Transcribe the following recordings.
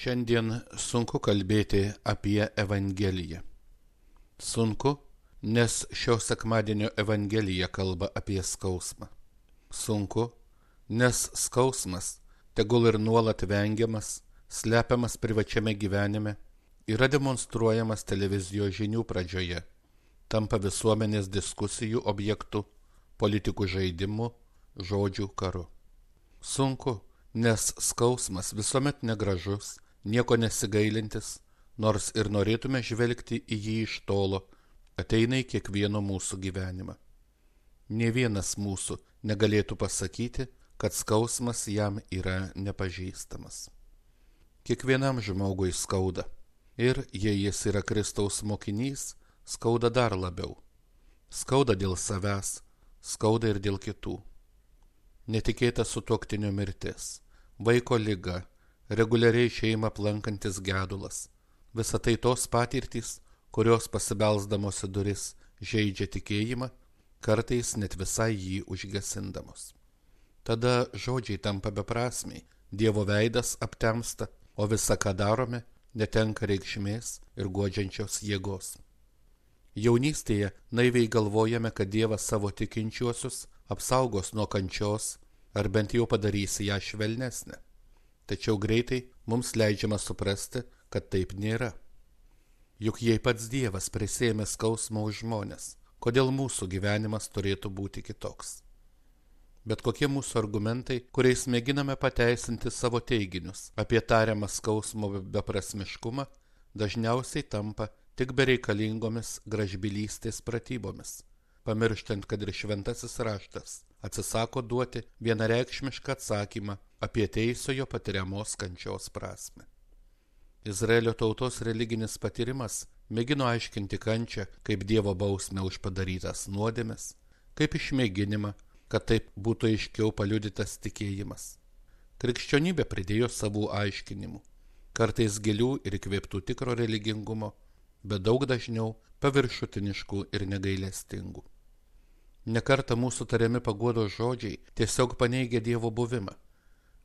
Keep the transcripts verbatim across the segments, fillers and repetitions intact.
Šiandien sunku kalbėti apie Evangeliją. Sunku, nes šio sekmadienio Evangelija kalba apie skausmą. Sunku, nes skausmas, tegul ir nuolat vengiamas, slepiamas privačiame gyvenime, yra demonstruojamas televizijos žinių pradžioje, tampa visuomenės diskusijų objektu, politikų žaidimu, žodžių karu. Sunku, nes skausmas visuomet negražus, nieko nesigailintis, nors ir norėtume žvelgti į jį iš tolo, ateina į kiekvieno mūsų gyvenimą. Nė vienas mūsų negalėtų pasakyti, kad skausmas jam yra nepažįstamas. Kiekvienam žmogui skauda, ir jei jis yra Kristaus mokinys, skauda dar labiau. Skauda dėl savęs, skauda ir dėl kitų. Netikėta sutuoktinio mirtis, vaiko liga, reguliariai šeimą aplankantis gedulas. Visa tai tos patirtys, kurios pasibelsdamos į duris žeidžia tikėjimą, kartais net visai jį užgesindamos. Tada žodžiai tampa beprasmiai, Dievo veidas aptemsta, o visa, ką darome, netenka reikšmės ir guodžiančios jėgos. Jaunystėje naiviai galvojame, kad Dievas savo tikinčiuosius apsaugos nuo kančios, ar bent jau padarys ją švelnesnę. Tačiau greitai mums leidžiama suprasti, kad taip nėra. Juk jei pats Dievas prisėmė skausmą už žmones, kodėl mūsų gyvenimas turėtų būti kitoks? Bet kokie mūsų argumentai, kuriais mėginame pateisinti savo teiginius apie tariamą skausmo beprasmiškumą, dažniausiai tampa tik bereikalingomis gražbylystės pratybomis, pamirštant, kad ir šventasis raštas atsisako duoti vienareikšmišką atsakymą apie teisojo patiriamos kančios prasmę. Izraelio tautos religinis patyrimas mėgino aiškinti kančią kaip Dievo bausmę už padarytas nuodėmes, kaip išmėginimą, kad taip būtų aiškiau paliudytas tikėjimas. Krikščionybė pridėjo savų aiškinimų, kartais gilių ir įkvėptų tikro religingumo, bet daug dažniau paviršutiniškų ir negailestingų. Nekartą mūsų tariami paguodos žodžiai tiesiog paneigia Dievo buvimą,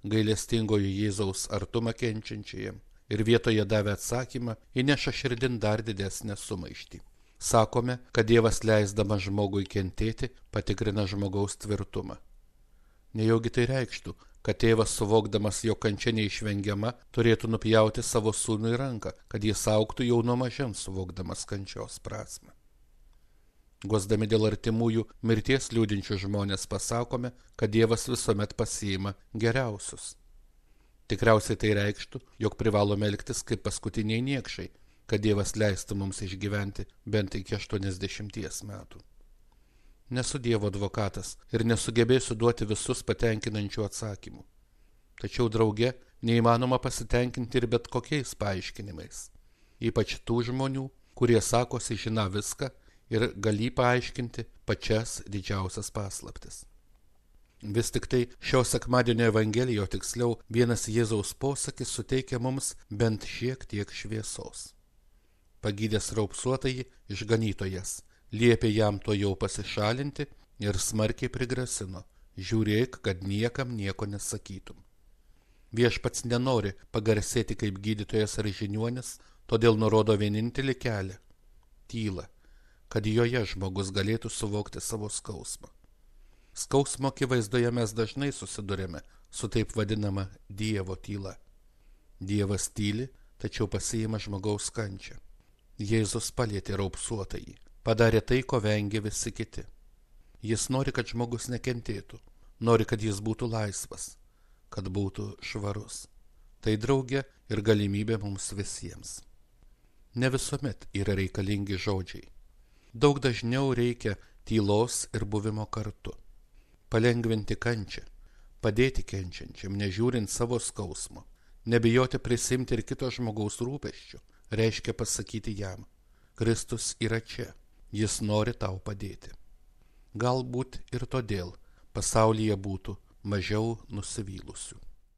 gailestingojo Jėzaus artumą kenčiančiajam, ir vietoje davę atsakymą įneša širdin dar didesnę sumaištį. Sakome, kad Dievas leisdamas žmogui kentėti patikrina žmogaus tvirtumą. Nejaugi tai reikštų, kad tėvas, suvokdamas jo kančia neišvengiama, turėtų nupjauti savo sūnui ranką, kad jis augtų jau nuo mažens suvokdamas kančios prasmę. Guosdami dėl artimųjų mirties liūdinčių žmonės pasakome, kad Dievas visuomet pasiima geriausius. Tikriausiai tai reikštų, jog privalome elgtis kaip paskutiniai niekšai, kad Dievas leistų mums išgyventi bent iki aštuoniasdešimties metų. Nesu Dievo advokatas ir nesugebėsiu duoti visus patenkinančių atsakymų. Tačiau drauge neįmanoma pasitenkinti ir bet kokiais paaiškinimais, ypač tų žmonių, kurie sakosi žiną viską ir galį paaiškinti pačias didžiausias paslaptis. Vis tik tai šio sekmadienio Evangelijo, tiksliau vienas Jėzaus posakis suteikia mums bent šiek tiek šviesos. Pagydęs raupsuotąjį išganytojas liepė jam to jau pasišalinti ir smarkiai prigrasino: žiūrėk, kad niekam nieko nesakytum. Viešpats nenori pagarsėti kaip gydytojas ar žiniuonis, todėl nurodo vienintelį kelią – tylą, kad joje žmogus galėtų suvokti savo skausmą. Skausmo akivaizdoje mes dažnai susidurėme su taip vadinama Dievo tyla. Dievas tyli, tačiau pasiima žmogaus kančią. Jėzus palietė raupsuotąjį, padarė tai, ko vengė visi kiti. Jis nori, kad žmogus nekentėtų, nori, kad jis būtų laisvas, kad būtų švarus. Tai drauge ir galimybė mums visiems. Ne visuomet yra reikalingi žodžiai. Daug dažniau reikia tylos ir buvimo kartu. Palengvinti kančią, padėti kenčiančiam, nežiūrint savo skausmo, nebijoti prisimti ir kito žmogaus rūpesčių, reiškia pasakyti jam: Kristus yra čia, jis nori tau padėti. Galbūt ir todėl pasaulyje būtų mažiau nusivylusių.